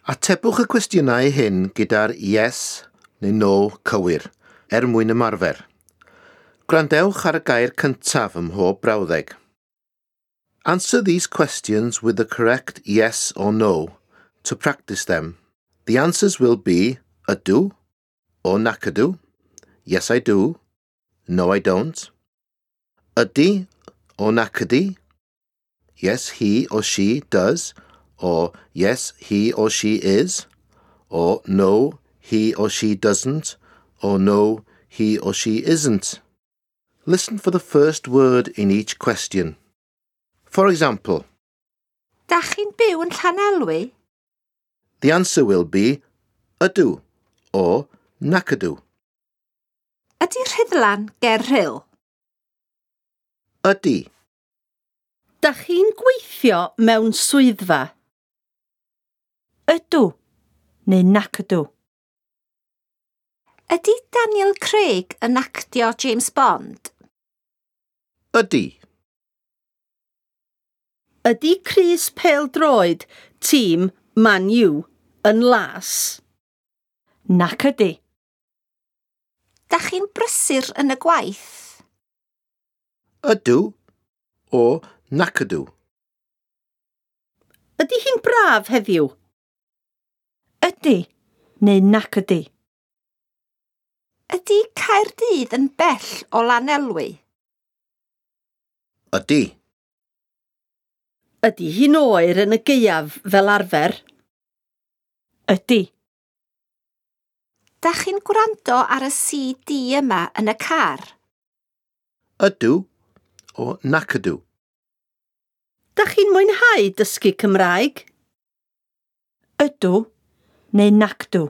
Atebwch y cwestiynau hyn gyda'r yes neu no cywir er mwyn ymarfer. Gwrandewch ar y gair cyntaf ym mhob brawddeg. Answer these questions with the correct yes or no to practice them. The answers will be ydw or nac ydw, yes I do, no I don't, ydy or nac ydy, yes he or she does, or yes he or she is, or no he or she doesn't, or no he or she isn't. Listen for the first word in each question. For example, Dach chi'n byw yn Llanelwy? The answer will be ydw or nac ydw. Ydy Rhuddlan ger Rhyl? Ydy. Dach chi'n gweithio mewn swyddfa? Ydw neu nac ydw. Ydy Daniel Craig yn actio James Bond? Ydy. Ydy crys pêl-droed tîm Man U yn las? Nac ydy. Dach chi'n brysur yn y gwaith? Ydw or nac ydw. Ydy hi'n braf heddiw? Ydy neu nac ydy. Ydy Caerdydd yn bell o Lanelwy? Ydy. Ydy hi'n oer yn y gaeaf fel arfer? Ydy. Dach chi'n gwrando ar y CD yma yn y car? Ydw or nac ydw. Dach chi'n mwynhau dysgu Cymraeg? Ydw neu nac ydw.